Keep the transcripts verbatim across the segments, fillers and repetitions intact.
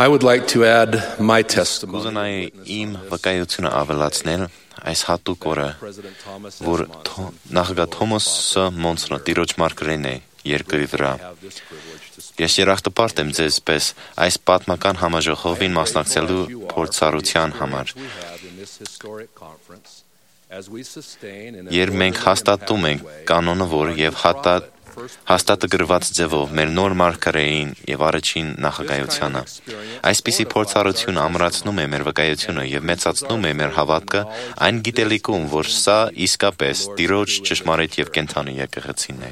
I would like to add my testimony. Կուզենայի իմ վկայությունը ավելացնել այս հատուկ օրը, որ նախագահ Թոմասը Մոնսոնը տիրոջ մարգարեն է երկրի վրա։ Ես երախտապարտ եմ ձեզ պես այս պատմական համաժողովին մասնակցելու փորձառության համար։ Երբ մենք հաստատում ենք կանոնը, որ եւ հատա հաստատագրված ձևով մեր նոր մարգարեին եւ առաջին նախագահությանը, այսպիսի փորձառություն ամրացնում է մեր վկայությունը եւ մեծացնում է մեր հավատքը այն գիտելիքում, որ սա իսկապես Տիրոջ ճշմարիտ եւ կենդանի եկեղեցին է։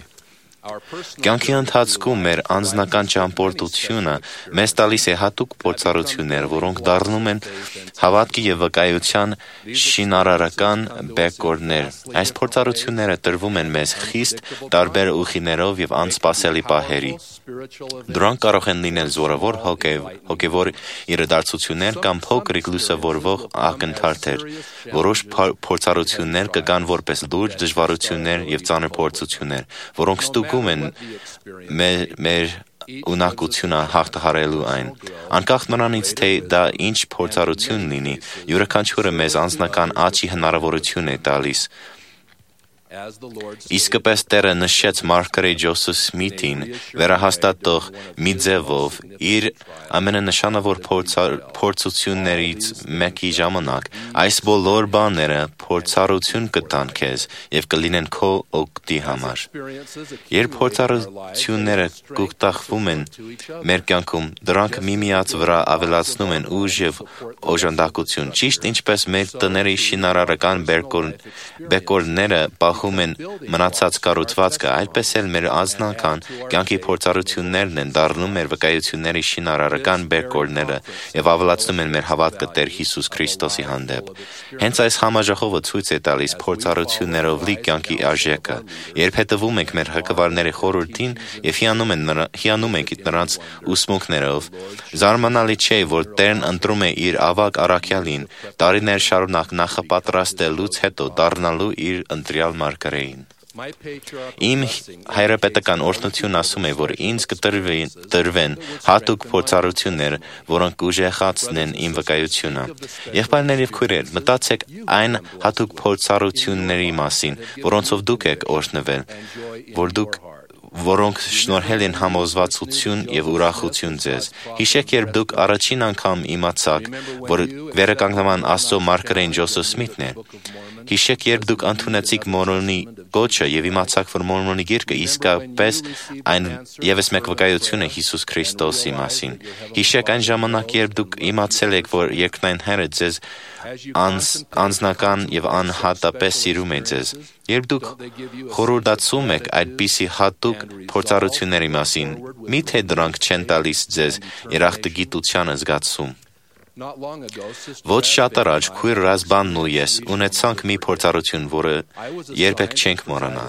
Կյանքի ընթացքում մեր անձնական ճամփորդությունը մեզ տալիս է հատուկ փորձառություններ, որոնք դառնում են հավատքի եւ վկայության շինարարական բեկորներ։ Այս փորձառությունները տրվում են մեզ խիստ տարբեր ուղիներով եւ անսպասելի պահերի։ Դրանք կարող են լինել զորավոր հոգեվոր իրադարձություններ կամ փոքրիկ լուսավորվող ակնթարթեր։ Որոշ փորձառություններ կգան որպես լուրջ դժվարություններ եւ ծանր փորձություններ, որոնք ստուգում են մեր, մեր ունակությունը հաղթահարելու այն։ Անկախ նրանից, թե դա ինչ փորձառություն լինի, յուրաքանչյուրը մեզ անձնական աճի հնարավորություն է տալիս։ Իսկապես Տերը նշեց մարգարե Ջոսեֆ Սմիթին վերահաստատող մի ձևով իր ամենանշանավոր փորձություններից մեկի ժամանակ այս բոլոր բաները փորձառություն կտան քեզ եւ կլինեն քո օգտի համար։ Երբ փորձառությունները կուտակվում են մեր կյանքում, դրանք միմիած վրա ավելացնում են ուժ եւ օժանդակություն, ճիշտ ինչպես մեր տների շինարարական բեկորները պահում են մնացած կառուցվածքը, այդպես էլ մեր անձնական կյանքի փորձառություններն են դառնում մեր վկայությունների շինարարական բեկորները եւ ավելացնում են մեր հավատքը Տեր Հիսուս Քրիստոսի հանդեպ։ Հենց այս համաժողովը ցույց է տալիս փորձառություններով լի կյանքի արժեքը, երբ հետևում ենք մեր հոգևորների խորհրդին եւ հիանում են հիանում ենք նրանց ուսմունքներով։ Զարմանալի չէ, որ Տերն ընտրում է իր ավագ առաքյալին տարիներ շարունակ նախապատրաստելուց հետո դառնալու իր ընտրյալ մարգարեին։ Իմ հայրապետական օրհնությունն ասում է, որ ինձ կտրվեն հատուկ փորձառություններ, որոնք կուժեղացնեն իմ վկայությունը։ Եղբայրներ եւ քույրեր, մտածեք այն հատուկ փորձառությունների մասին, որոնցով դուք եք օրհնվել, որ դուք որոնք շնորհել են համոզվածություն եւ ուրախություն ձեզ։ Հիշեք, երբ դուք առաջին անգամ իմացաք, որ վերականգնման Աստծո մարգարեն Ջոսեֆ Սմիթն է։ Հիշեք, երբ դուք ընդունեցիք Մորմոնի կոչը եւ իմացաք, որ Մորմոնի գիրքը իսկապես այն եւս մեկ վկայություն է Հիսուս Քրիստոսի մասին։ Հիշեք այն ժամանակ, երբ դուք իմացել եք, որ երկնային Հայրը ձեզ անձ, անձնական եւ անհատապես սիրում է ձեզ։ Երբ դուք խորհրդացում եք այդպիսի հատուկ փորձառությունների մասին, միթե դրանք չեն տալիս ձեզ երախտագիտության զգացում։ Ոչ շատ առաջ քույր Ռազբանն ու ես ունեցանք մի փորձառություն, որը երբեք չենք մոռանա։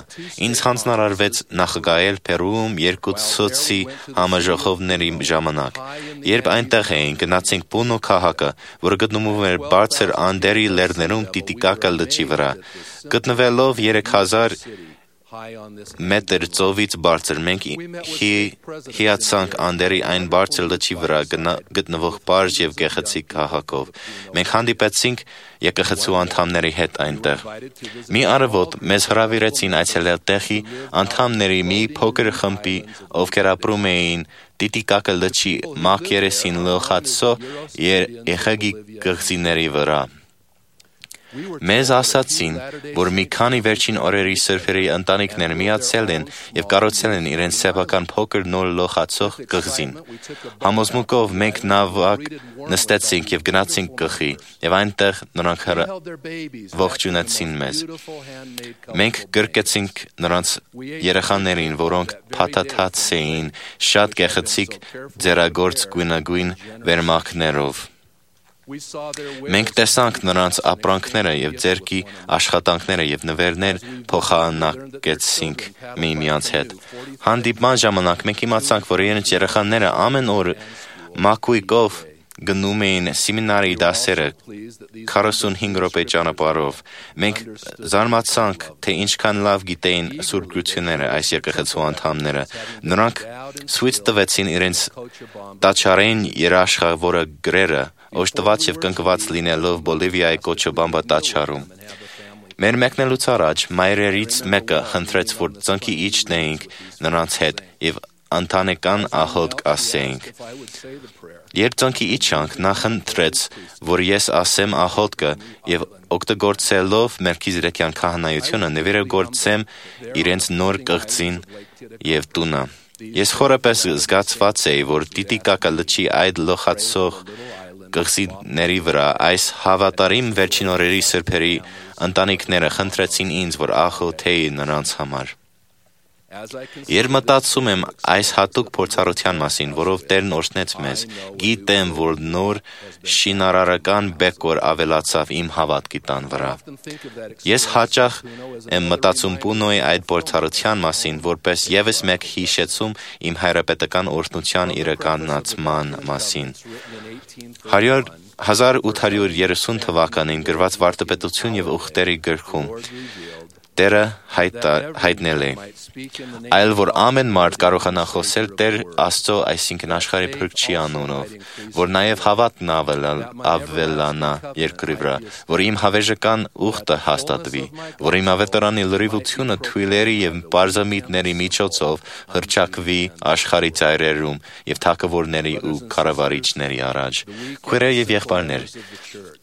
Ինձ հանձնարարվեց նախագահել Պերուում երկու ցոցի համաժողովների ժամանակ։ Երբ այնտեղ էինք, գնացինք Պունո քաղաքը, որը գտնվում էր բարձր Անդերի լեռներում Տիտիկակա լճի վրա։ Գտնվելով երեք հազար մետր ծովից բարձր, մենք հիացանք Անդերի այն բարձր լճի վրա գտնվող պարզ եւ գեղեցիկ քաղաքով։ Մենք հանդիպեցինք եկեղեցու անդամների հետ այնտեղ։ Մի առավոտ մեզ հրավիրեցին այցելել տեղի անդամների մի փոքր խմբի, ովքեր ապրում էին Տիտիկակա լճի մակերեսին լողացող եղեգի կղզիների վրա։ Մեզ ասացին, որ մի քանի վերջին օրերի սրբերի ընտանիքներ միացել են եւ կառուցել են իրենց սեփական փոքր նոր լողացող կղզին։ Համոզմունքով մենք նավակ նստեցինք եւ գնացինք կղզի, եւ այնտեղ նրանք ողջունեցին մեզ։ Մենք գրկեցինք նրանց երեխաներին, որոնք փաթաթած էին շատ գեղեցիկ ձեռագործ գույնագույն վերմակներով։ Մենք տեսանք նրանց ապրանքները եւ ձեռքի աշխատանքները եւ նվերներ փոխանակեցինք միմյանց հետ։ Հանդիպման ժամանակ մենք իմացանք, որ իրենց երեխաները ամեն օր մակույկով գնում էին սեմինարի դասերը քառասունհինգ րոպե ճանապարհով, մենք զարմացանք, թե ինչքան լավ գիտեին Սուրբ Գրությունները այս եկեղեցու անդամները։ Նրանք ցույց տվեցին իրենց տաճարային երաշխավորը գրերը, օժտված եւ կնկված լինելով Բոլիվիայի Կոչաբամբա տաճարում։ Մեր մեկնելուց առաջ մայրերից մեկը խնդրեց, որ ծնկի իջնեինք նրանց հետ եւ ընտանեկան աղոթք ասեինք։ Երբ ծնկի իջանք, նա խնդրեց, որ ես ասեմ աղոթքը եւ օգտագործելով Մելքիզեդեկյան քահանայությունը նվիրագործեմ իրենց նոր կղզին եւ տունը։ Ես խորապես զգացված էի, որ Տիտիկակը լճի այդ լոխացող կղզիների վրա այս հավատարիմ վերջին օրերի սրբերի ընտանիքները խնդրեցին ինձ, որ աղոթեի նրանց համար։ Երբ մտածում եմ այս հատուկ փորձառության մասին, որով Տերն օրհնեց մեզ, գիտեմ, որ նոր շինարարական բեկոր ավելացավ իմ հավատքի տան վրա։ Ես հաճախ եմ մտածում Պունոյի այդ փորձառության մասին, որպես ևս մեկ հիշեցում իմ հայրապետական օրհնության իրականացման մասին։ հազար ութ հարյուր երեսուն թվականին գրված Վարդապետություն եւ ուխտերի գրքում Տերը հայտնել է. այլ որ ամեն մարդ կարողանա խոսել Տեր Աստծո, այսինքն աշխարհի Փրկչի անունով, որ նաև հավատն ավելանա երկրի վրա, որ իմ հավերժական ուխտը հաստատվի, որ իմ ավետարանի լրիվությունը թույլերի եւ պարզամիտների միջոցով հռչակվի աշխարհի ծայրերում եւ թագավորների ու կառավարիչների առաջ։ Քույրեր եւ եղբայրներ,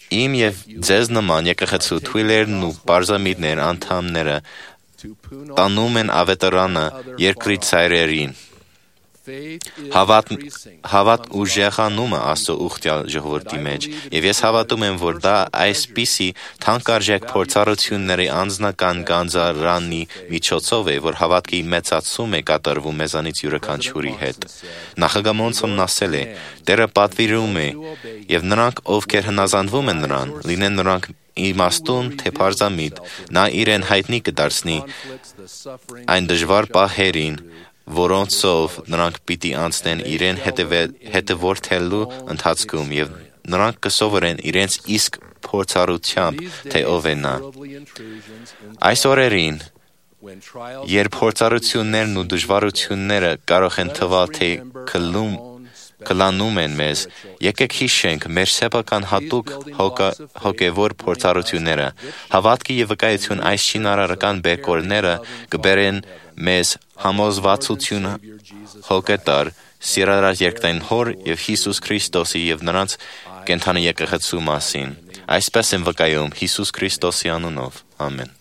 իմ եւ ձեզ նման եկեղեցու թույլերն ու պարզամիտներ անդամները տանում են ավետարանը երկրի ծայրերին։ Հավատ, հավատ ուժեղանումը Աստծո ուխտյալ ժողովրդի մեջ, եւ ես հավատում եմ, որ դա այսպիսի թանկարժեք փորձառությունների անձնական գանձարանի միջոցով է, որ հավատքի մեծացում է կատարվում մեզանից յուրաքանչյուրի հետ։ Նախագամոնցն ասել է. Տերը պատվիրում է, եւ նրանք, ովքեր հնազանդվում են նրան, լինեն նրանք իմաստուն, թե պարզամիտ, նա իրեն հայտնի կդարձնի այն դժվար պահերին, որոնցով նրանք պիտի անցնեն իրեն հետևորդելու ընթացքում եւ նրանք կսովորեն իրենց իսկ փորձառությամբ, թե ով է նա։ Այս օրերին, երբ փորձառություններն ու դժվարությունները կարող են թվալ, թե կլում կլանում են մեզ, եկեք հիշենք մեր սեփական հատուկ հոգևոր փորձառությունները, հավատքի եւ վկայություն այս շինարարական բեկորները կբերեն մեզ համոզվածություն հոգետար սիրառած երկնային Հոր եւ Հիսուս Քրիստոսի եւ նրանց կենդանի եկեղեցու մասին։ Այսպես եմ վկայում Հիսուս Քրիստոսի անունով։ Ամեն։